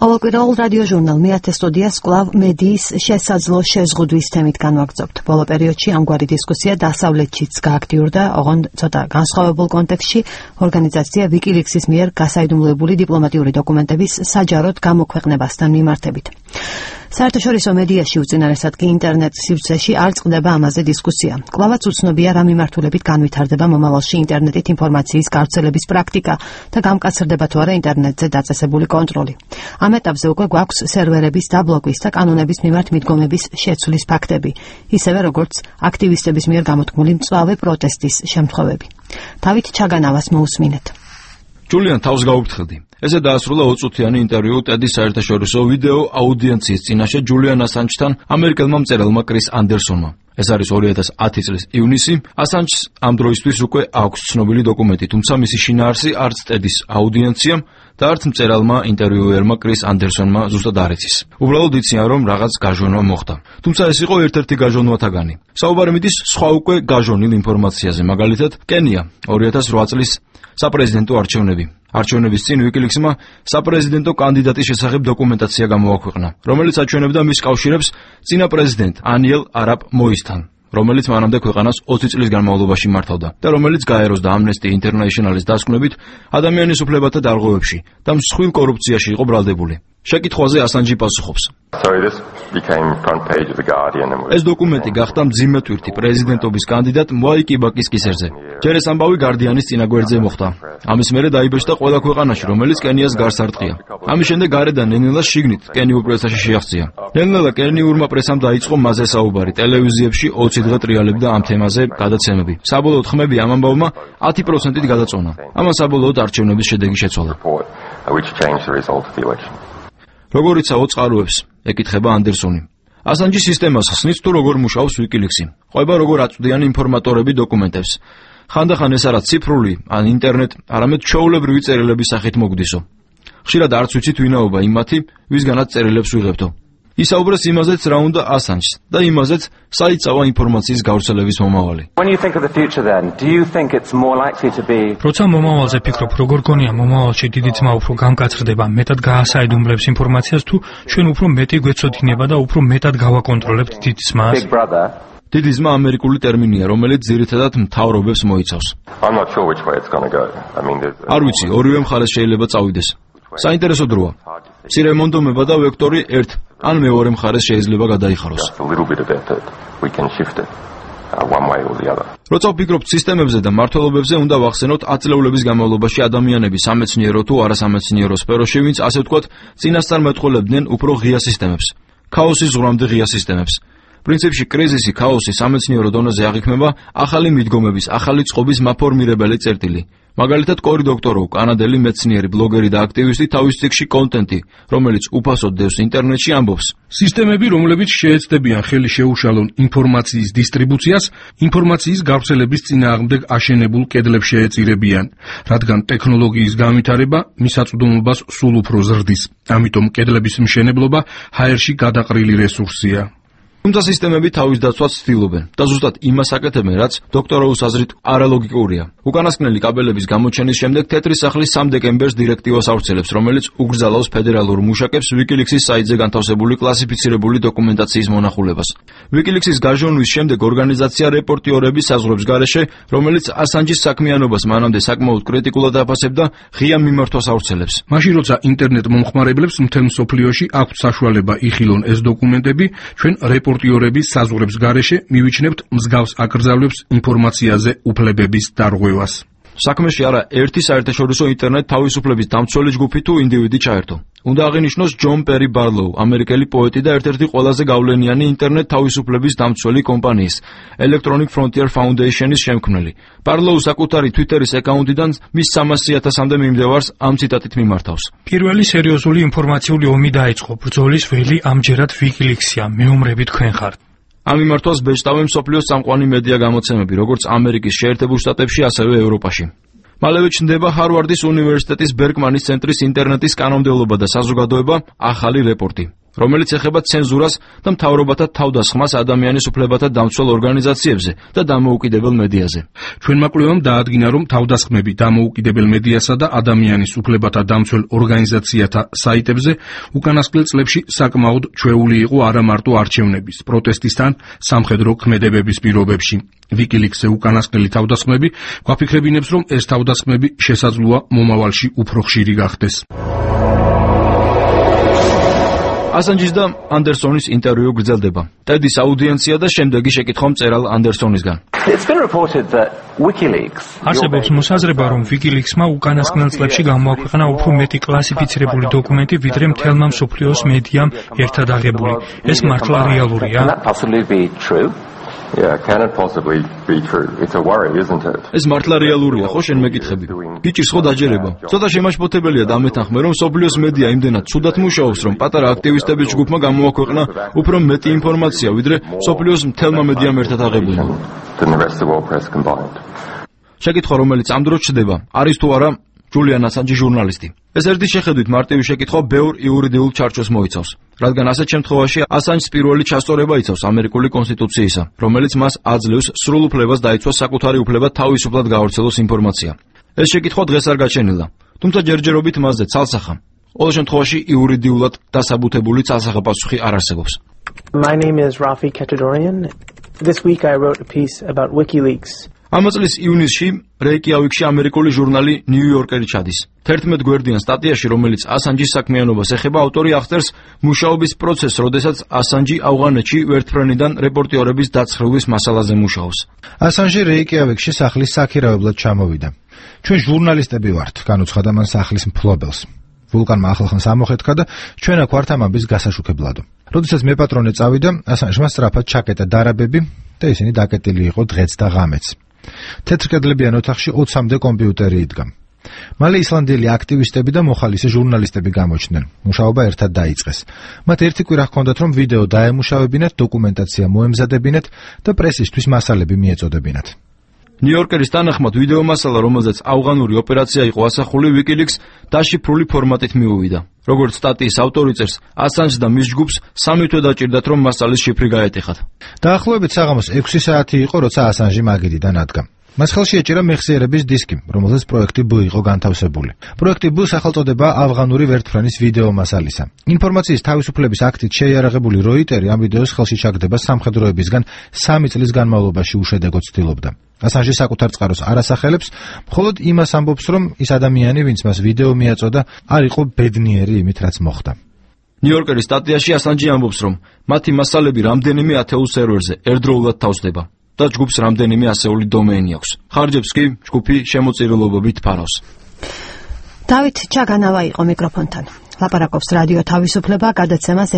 ყოველკვირეულ რადიოჟურნალ მეათე სტუდიას კვლავ მედიის შესაძლო შეზღუდვის თემით განვაგრძობთ. ბოლო პერიოდში ამგვარი დისკუსია დასავლეთშიც გააქტიურდა, ოღონდ ცოტა განსხვავებულ კონტექსტში ორგანიზაცია WikiLeaks-ის მიერ გასაიდუმლოებული დიპლომატიური დოკუმენტების საჯაროდ გამოქვეყნებასთან მიმართებით. საერთაშორისო მედიაში უწინარესად კი ინტერნეტ სივრცეში არ წყდება ამაზე დისკუსია. კვლავაც უცნობია რა მიმართულებით განვითარდება მომავალში ინტერნეტით ინფორმაციის გავრცელების პრაქტიკა და გამკაცრდება თუ არა ინტერნეტზე დაწესებული კონტროლი. ამ ეტაპზე უკვე გვაქვს სერვერების დაბლოკვის და კანონების მიმართ მიდგომების შეცვლის ფაქტები, ისევე როგორც აქტივისტების მიერ გამოთქმული მწვავე პროტესტის შემთხვევები. თავით ჩაგანავას მოусმინეთ. ჯულიან თავს გაუფრთხილდი. ესე დაასრულა 20 წუთიანი ინტერვიუ ტედის საერთაშორისო ვიდეო აუდიენციის წინაშე ჯულიან ასანჯთან ამერიკელმა მწერალმა კრის ანდერსონმა. ეს არის 2010 წლის ივნისი. ასანჯს ამ დროისთვის უკვე აქვს ცნობილი დოკუმენტი, თუმცა მისი შინაარსი არც ტედის აუდიენციამ და არც მწერალმა ინტერვიუერმა კრის ანდერსონმა ზუსტად არ იცის. უბრალოდ იციან, რომ რაღაც გაჟონვა მოხდა. თუმცა ეს იყო ერთ-ერთი გაჟონვათაგანი. საუბარი მიდის სხვა უკვე გაჟონილ ინფორმაციაზე, მაგალითად, კენია 2008 წლის საპრეზიდენტო არჩევნები. არჩევნების წინ WikiLeaks-მა საპრეზიდენტო კანდიდატის შესახებ დოკუმენტაცია გამოაქვეყნა, რომელიც აჩვენებდა მის კავშირებს წინა პრეზიდენტ ანიელ არაბ მოისთან, რომელიც მანამდე ქვეყანას 20 წლის განმავლობაში მართავდა და რომელიც გაეროს და Amnesty International-ის დასკვნებით ადამიანის უფლებათა დარღვევებში და მსხვილ კორუფციაში იყო ბრალდებული. შეკითხვაზე ასანჯი პასუხობს. ეს დოკუმენტი გახდა მძიმე თვირთი პრეზიდენტობის კანდიდატ მოაი კიბაკის კისერზე. ჯერ ეს ამბავი გარდიანის წინაგვერდზე მოხდა. ამის მერე დაიბეჭდა ყველა ქვეყანაში, რომელიც კენიას გარს არტყია. ამის შემდეგ გარედან ნენელას შიგნით კენიურ პრესაში შეაღწია. ნენელა კენიურმა პრესამ დაიწყო მასზე საუბარი, ტელევიზიებში 20 დღე ტრიალებდა ამ თემაზე გადაცემები. საბოლოოდ ხმები ამ ამბავმა 10%-ით გადაწონა. ამან საბოლოოდ არჩევნების შედეგი შეცვალა. როგორ იცავ წყაროებს? ეკითხება ანდერსონი. ასანჯი სისტემას ხსნის თუ როგორ მუშაობს WikiLeaks-ი. ყვება როგორ აწვდიან ინფორმატორები დოკუმენტებს. ხანდახან ეს არა ციფრული ან ინტერნეტ, არამედ ჩვეულებრივი წერილების სახით მოგვდისო. ხშირად არც ვიცით ვინაობა იმათი, ვისგანაც წერილებს ვიღებთო. ისაუბრეს იმაზეც რა უნდა ასანჯს და იმაზეც საიწავა ინფორმაციის გავრცელების მომავალი. როცა მომავალზე ფიქრობ, როგორ გონია მომავალში დიდი ძმა უფრო გამკაცრდება, მეტად გაასაიდუმლებს ინფორმაციას თუ ჩვენ უფრო მეტი გვეცოდინება და უფრო მეტად გავაკონტროლებთ დიდ ძმას? დიდი ძმა ამერიკული ტერმინია, რომელიც ძირითადად მთავრობებს მოიცავს. არ ვიცი, ორივე მხარეს შეიძლება წავიდეს. საინტერესო დროა. მცირე მონდომება და ვექტორი ერთ ან მეორე მხარეს შეიძლება გადაიხაროს. როცა ვფიქრობთ სისტემებზე და მმართველობებზე, უნდა ვახსენოთ 10 წლეულების განმავლობაში ადამიანები სამეცნიერო თუ არასამეცნიერო სფეროში, ვინც ასე ვთქვათ, წინასწარ მეტყოლებდნენ უფრო ღია სისტემებს, ქაოსის ზღვრამდე ღია სისტემებს. პრინციპში კრიზისი, ქაოსი სამეცნიერო დონეზე აღიქმება ახალი მიდგომების, ახალი წყობის მაფორმირებელი წერტილი. მაგალითად, კორი დოქტოროვ, კანადელი მეცნიერი, ბლოგერი და აქტივისტი თავის ციკში კონტენტი, რომელიც უფასოდ დევს ინტერნეტში, ამბობს. სისტემები, რომლებიც შეეცდებიან ხელი შეუშალონ ინფორმაციის დისტრიბუციას, ინფორმაციის გავრცელების წინააღმდეგ აშენებულ კედლებს შეეწირებიან, რადგან ტექნოლოგიის განვითარება მისაწვდომობას სულ უფრო ზრდის. ამიტომ კედლების მშენებლობა ჰაერში გადაყრილი რესურსია. თუმცა სისტემები თავის დაცვას ცდილობენ და ზუსტად იმას აკეთებენ, რაც დოქტოროვის აზრით არალოგიკურია. უკანასკნელი კაბელების გამოჩენის შემდეგ თეთრი სახლის 3 დეკემბერს დირექტივას ავრცელებს, რომელიც უგრძალავს ფედერალურ მუშაკებს WikiLeaks-ის საიტზე განთავსებული კლასიფიცირებული დოკუმენტაციის მონახულებას. WikiLeaks-ის გაჟონვის შემდეგ ორგანიზაცია რეპორტიორების საზღვრებს გარეშე, რომელიც ასანჯის საქმიანობას მანამდე საკმაოდ კრიტიკულად აფასებდა, ღია მიმართვას ავრცელებს. მაშინ როცა ინტერნეტ მომხმარებლებს მთელ მსოფლიოში აქვთ საშუალება იხილონ ეს დოკუმენტები, ჩვენ რეპორტიორების საზღვრებს გარეშე მივიჩნევთ მსგავს აკრძალვებს ინფორმაციაზე უფლებების დარღვევას. საქმეში არა ერთი საერთაშორისო ინტერნეტ თავისუფლების დამცველი ჯგუფი თუ ინდივიდი ჩაერთო. უნდა აღინიშნოს ჯონ პერი ბარლოუ, ამერიკელი პოეტი და ერთ-ერთი ყველაზე გავლენიანი ინტერნეტ თავისუფლების დამცველი კომპანიის Electronic Frontier Foundation-ის შემქმნელი. ბარლოუ საკუთარი Twitter-ის აკაუნტიდან მის 300,000-მდე მიმდევარს ამ ციტატით მიმართავს. პირველი სერიოზული ინფორმაციული ომი დაიწყო. ბრძოლის ველი ამჯერად WikiLeaks-ია. მეომრები თქვენ ხართ. ამ მიმართვას ბეჭდავენ მსოფლიოს წამყვანი მედია გამოცემები, როგორც ამერიკის შეერთებულ შტატებში, ასევე ევროპაში. მალევე ჩნდება ჰარვარდის უნივერსიტეტის ბერკმანის ცენტრის ინტერნეტის კანონმდებლობა და საზოგადოება ახალი რეპორტი. რომელიც ეხება ცენზურას და მთავრობათა თავდასხმას ადამიანის უფლებათა დამცველ ორგანიზაციებზე და დამოუკიდებელ მედიაზე. ჩვენმა კვლევამ დაადგინა, რომ თავდასხმები დამოუკიდებელ მედიასა და ადამიანის უფლებათა დამცველ ორგანიზაციათა საიტებზე უკანასკნელ წლებში საკმაოდ ჩვეული იყო არა მარტო არჩევნების, პროტესტისთან, სამხედრო ქმედებების პირობებში. WikiLeaks-ზე უკანასკნელი თავდასხმები გვაფიქრებინებს, რომ ეს თავდასხმები შესაძლოა მომავალში უფრო ხშირი გახდეს. ასანჯის და ანდერსონის ინტერვიუ გრძელდება. ტედის აუდიენცია და შემდეგი შეკითხვა მწერალ ანდერსონისგან. არსებობს მოსაზრება, რომ WikiLeaks-მა უკანასკნელ წლებში გამოაქვეყნა უფრო მეტი კლასიფიცირებული დოკუმენტი, ვიდრე მთელმა მსოფლიოს მედიამ ერთად აღებული. ეს მართლა რეალურია? ეს მართლა რეალურია, ხო შენ მეკითხები? გიჭირს ხო დაჯერება? ცოტა შემაშფოთებელია დამეთანხმე, რომ მსოფლიოს მედია იმდენად ცუდად მუშაობს, რომ პატარა აქტივისტების ჯგუფმა გამოაქვეყნა უფრო მეტი ინფორმაცია, ვიდრე მსოფლიოს მთელმა მედიამ ერთად აღებულმა. შეკითხვა, რომელიც ამ დროს ჩდება, არის თუ არა ჯულიან ასანჯი ჟურნალისტი. ეს ერთი შეხედვით მარტივი შეკითხვა ბევრ იურიდიულ ჩარჩოს მოიცავს, რადგან ასეთ შემთხვევაში ასანჯს პირველი ჩასწორება იცავს ამერიკული კონსტიტუციისა, რომელიც მას აძლევს სრულ უფლებას დაიცვას საკუთარი უფლება თავისუფლად გავრცელოს ინფორმაცია. ეს შეკითხვა დღეს არ გაჩენილა, თუმცა ჯერჯერობით მასზე ცალსახა, ყოველ შემთხვევაში იურიდიულად დასაბუთებული ცალსახა პასუხი არ არსებობს. My name is Rafi Kachadorian. This week I wrote a piece about WikiLeaks. ამ წლის ივნისში რეიკიავიკში ამერიკული ჟურნალი New Yorker-ი ჩადის. 11 გვერდიან სტატიაში, რომელიც ასანჯის საქმიანობას ეხება, ავტორი აღწერს მუშაობის პროცესს, როდესაც ასანჯი ავღანეთში ვერტფრენიდან რეპორტიორების დაცხრილის მასალაზე მუშაობს. ასანჯი რეიკიავიკში სახლის საქირავებლად ჩამოვიდა. ჩვენ ჟურნალისტები ვართ, განუცხადა მან სახლის მფლობელს. ვულკანმა ახალხანს ამოხეთქა და ჩვენ აქ ვართ ამ ამბის გასაშუქებლადო. როდესაც მეპატრონე წავიდა, ასანჯმა სწრაფად ჩაკეტა დარაბები და ისინი დაკეტილი იყო დღეც და ღამეც. თეთრკედლებიან ოთახში 20-მდე კომპიუტერი იდგა. მალე ისლანდიელი აქტივისტები და მოხალისე ჟურნალისტები გამოჩნდნენ. მუშაობა ერთად დაიწყეს. მათ ერთი კვირა ჰქონდათ, რომ ვიდეო დაემუშავებინათ, დოკუმენტაცია მოემზადებინათ და პრესისთვის მასალები მიეწოდებინათ. ნიუ-იორკერის თანახმად ვიდეო მასალა, რომელზეც ავღანური ოპერაცია იყო ასახული, WikiLeaks დაშიფრული ფორმატით მიუვიდა. როგორც სტატიის ავტორი წერს, ასანჯს და მის ჯგუფს 3 თვე დაჭირდათ, რომ მასალის შიფრი გაეტეხათ. დაახლოებით საღამოს 6 საათი იყო, როცა ასანჯი მაგიდიდან ადგა. მას ხელში ეჭირა მეხსიერების დისკი, რომელზეც პროექტი B იყო განთავსებული. პროექტი B სახელწოდება ავღანური ვერტფრენის ვიდეო მასალისა. ინფორმაციის თავისუფლების აქტით შეიარაღებული როიტერი ამ ვიდეოს ხელში ჩაგდება სამხედროებისგან 3 წლის განმავლობაში უშედეგოდ ცდილობდა. ასანჯი საკუთარ წყაროს არ ასახელებს, მხოლოდ იმას ამბობს, რომ ის ადამიანი, ვინც მას ვიდეო მიაწოდა, არ იყო ბედნიერი იმით, რაც მოხდა. ნიუ-იორკერის სტატიაში ასანჯი ამბობს, რომ მათი მასალები რამდენიმე ათეულ სერვერზე ერთდროულად თავსდება და ჯგუფს რამდენიმე ასეული დომეინი აქვს. ხარჯებს კი ჯგუფი შემოწირულობებით ფარავს. დავით ჩაგანავა იყო მიკროფონთან. ლაპარაკობს რადიო თავისუფლება გადაცემას